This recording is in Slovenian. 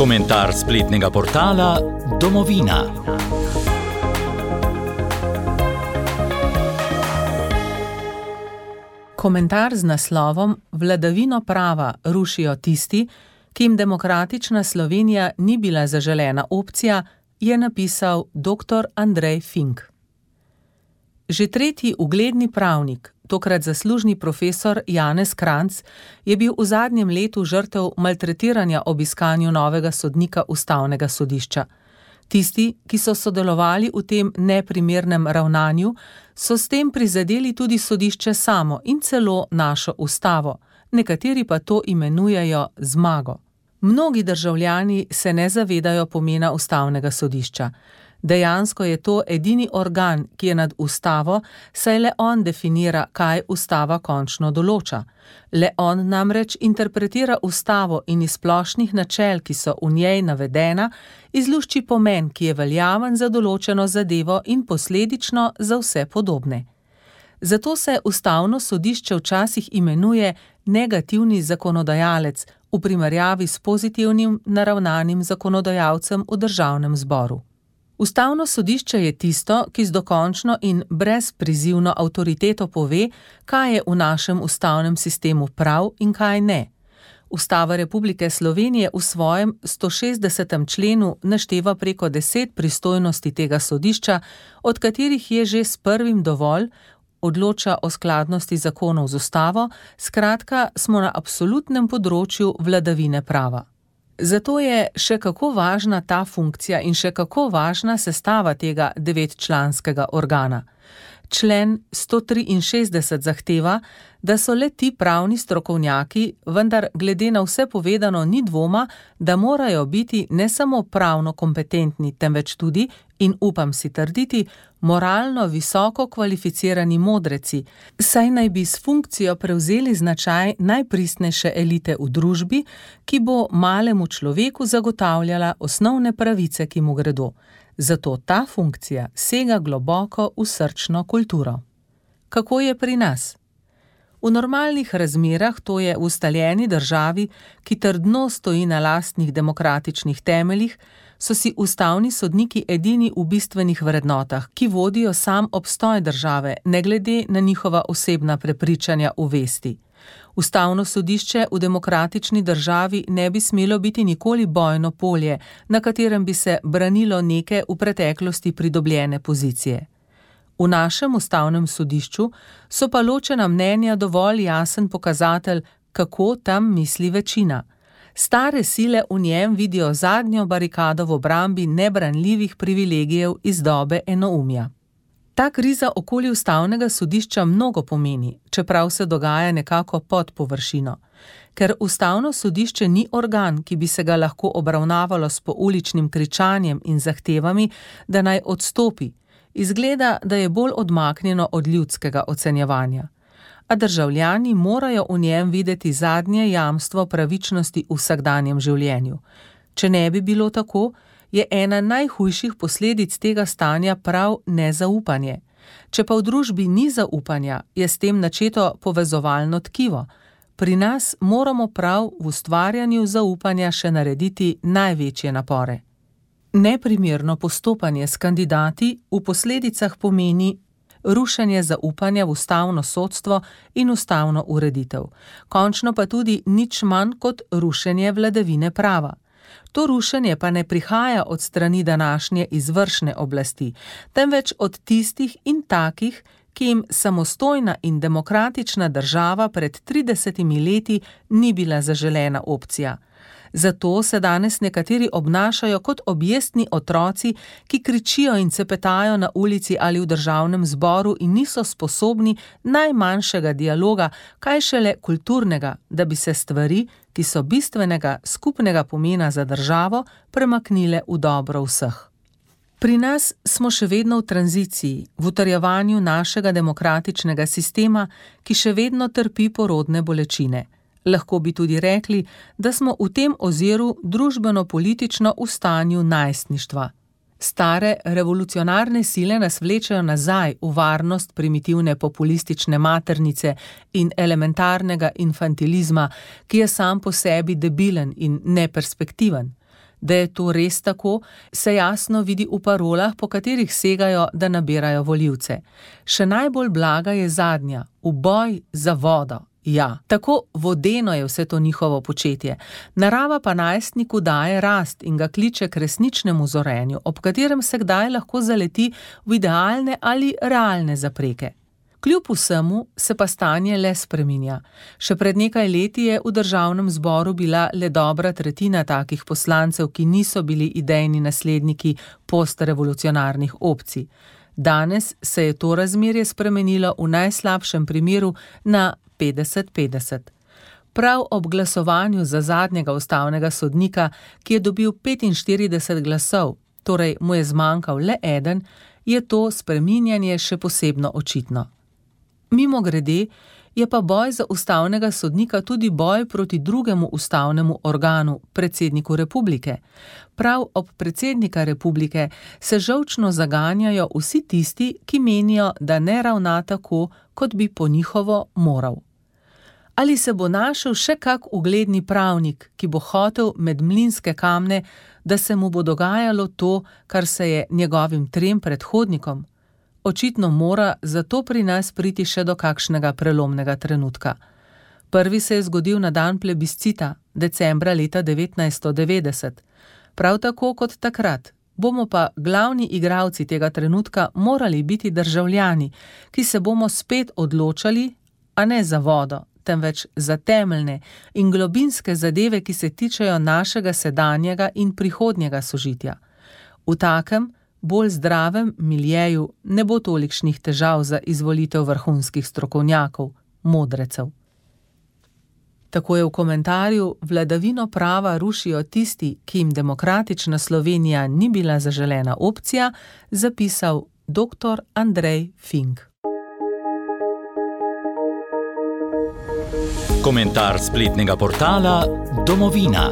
Komentar spletnega portala Domovina. Komentar z naslovom Vladavino prava rušijo tisti, ki jim demokratična Slovenija ni bila zaželena opcija, je napisal dr. Andrej Fink. Že tretji ugledni pravnik, tokrat zaslužni profesor Janez Kranjc, je bil v zadnjem letu žrtev maltretiranja ob iskanju novega sodnika Ustavnega sodišča. Tisti, ki so sodelovali v tem neprimernem ravnanju, so s tem prizadeli tudi sodišče samo in celo našo ustavo, nekateri pa to imenujejo zmago. Mnogi državljani se ne zavedajo pomena Ustavnega sodišča. Dejansko je to edini organ, ki je nad ustavo, saj le on definira, kaj ustava končno določa. Le on namreč interpretira ustavo in iz splošnih načel, ki so v njej navedena, izlušči pomen, ki je veljaven za določeno zadevo in posledično za vse podobne. Zato se Ustavno sodišče včasih imenuje negativni zakonodajalec v primerjavi s pozitivnim naravnanim zakonodajalcem v Državnem zboru. Ustavno sodišče je tisto, ki z dokončno in brezprizivno avtoriteto pove, kaj je v našem ustavnem sistemu prav in kaj ne. Ustava Republike Slovenije v svojem 160. členu našteva preko 10 pristojnosti tega sodišča, od katerih je že s prvim dovolj, odloča o skladnosti zakonov z ustavo, skratka smo na absolutnem področju vladavine prava. Zato je še kako važna ta funkcija in še kako važna sestava tega 9-članskega organa. Člen 163 zahteva, da so le ti pravni strokovnjaki, vendar glede na vse povedano ni dvoma, da morajo biti ne samo pravno kompetentni, temveč tudi, in upam si trditi, moralno visoko kvalificirani modreci, saj naj bi s funkcijo prevzeli značaj najpristnejše elite v družbi, ki bo malemu človeku zagotavljala osnovne pravice, ki mu gredo. Zato ta funkcija sega globoko v srčno kulturo. Kako je pri nas? V normalnih razmerah, to je v ustaljeni državi, ki trdno stoji na lastnih demokratičnih temeljih, so si ustavni sodniki edini v bistvenih vrednotah, ki vodijo sam obstoj države, ne glede na njihova osebna prepričanja v vesti. Ustavno sodišče v demokratični državi ne bi smelo biti nikoli bojno polje, na katerem bi se branilo neke v preteklosti pridobljene pozicije. V našem ustavnem sodišču so pa ločena mnenja dovolj jasen pokazatelj, kako tam misli večina. Stare sile v njem vidijo zadnjo barikado v obrambi nebranljivih privilegijev iz dobe enoumja. Ta kriza okoli Ustavnega sodišča mnogo pomeni, čeprav se dogaja nekako pod površino. Ker Ustavno sodišče ni organ, ki bi se ga lahko obravnavalo s pouličnim kričanjem in zahtevami, da naj odstopi, izgleda, da je bolj odmaknjeno od ljudskega ocenjevanja. A državljani morajo v njem videti zadnje jamstvo pravičnosti v vsakdanjem življenju. Če ne bi bilo tako, je ena najhujših posledic tega stanja prav nezaupanje. Če pa v družbi ni zaupanja, je s tem načeto povezovalno tkivo. Pri nas moramo prav v ustvarjanju zaupanja še narediti največje napore. Neprimerno postopanje s kandidati v posledicah pomeni rušenje zaupanja v ustavno sodstvo in ustavno ureditev. Končno pa tudi nič manj kot rušenje vladavine prava. To rušenje pa ne prihaja od strani današnje izvršne oblasti, temveč od tistih in takih, ki jim samostojna in demokratična država pred 30 leti ni bila zaželena opcija. Zato se danes nekateri obnašajo kot objestni otroci, ki kričijo in cepetajo na ulici ali v Državnem zboru in niso sposobni najmanjšega dialoga, kaj šele kulturnega, da bi se stvari, ki so bistvenega skupnega pomena za državo, premaknile v dobro vseh. Pri nas smo še vedno v tranziciji, v utrjevanju našega demokratičnega sistema, ki še vedno trpi porodne bolečine. Lahko bi tudi rekli, da smo v tem oziru družbeno-politično v stanju najstništva. Stare revolucionarne sile nas vlečejo nazaj v varnost primitivne populistične maternice in elementarnega infantilizma, ki je sam po sebi debilen in neperspektiven. Da je to res tako, se jasno vidi v parolah, po katerih segajo, da nabirajo volivce. Še najbolj blaga je zadnja: v boj za vodo. Ja, tako vodeno je vse to njihovo početje. Narava pa najstniku daje rast in ga kliče k resničnemu zorenju, ob katerem se kdaj lahko zaleti v idealne ali realne zapreke. Kljub vsemu se pa stanje le spreminja. Še pred nekaj leti je v državnem zboru bila le dobra tretjina takih poslancev, ki niso bili idejni nasledniki postrevolucionarnih opcij. Danes se je to razmerje spremenilo v najslabšem primeru na 50-50. Prav ob glasovanju za zadnjega ustavnega sodnika, ki je dobil 45 glasov, torej mu je zmanjkal le eden, je to spreminjanje še posebno očitno. Mimogrede je pa boj za ustavnega sodnika tudi boj proti drugemu ustavnemu organu, predsedniku republike. Prav ob predsednika republike se žolčno zaganjajo vsi tisti, ki menijo, da ne ravna tako, kot bi po njihovo moral. Ali se bo našel še kak ugledni pravnik, ki bo hotel med mlinske kamne, da se mu bo dogajalo to, kar se je njegovim 3 predhodnikom? Očitno mora zato pri nas priti še do kakšnega prelomnega trenutka. Prvi se je zgodil na dan plebiscita, decembra leta 1990. Prav tako kot takrat bomo pa glavni igralci tega trenutka morali biti državljani, ki se bomo spet odločali, a ne za vodo, temveč za temeljne in globinske zadeve, ki se tičejo našega sedanjega in prihodnjega sožitja. V takem, bolj zdravem miljeju ne bo tolikšnih težav za izvolitev vrhunskih strokovnjakov, modrecev. Tako je v komentarju Vladavino prava rušijo tisti, ki jim demokratična Slovenija ni bila zaželena opcija, zapisal dr. Andrej Fink. Komentar spletnega portala Domovina.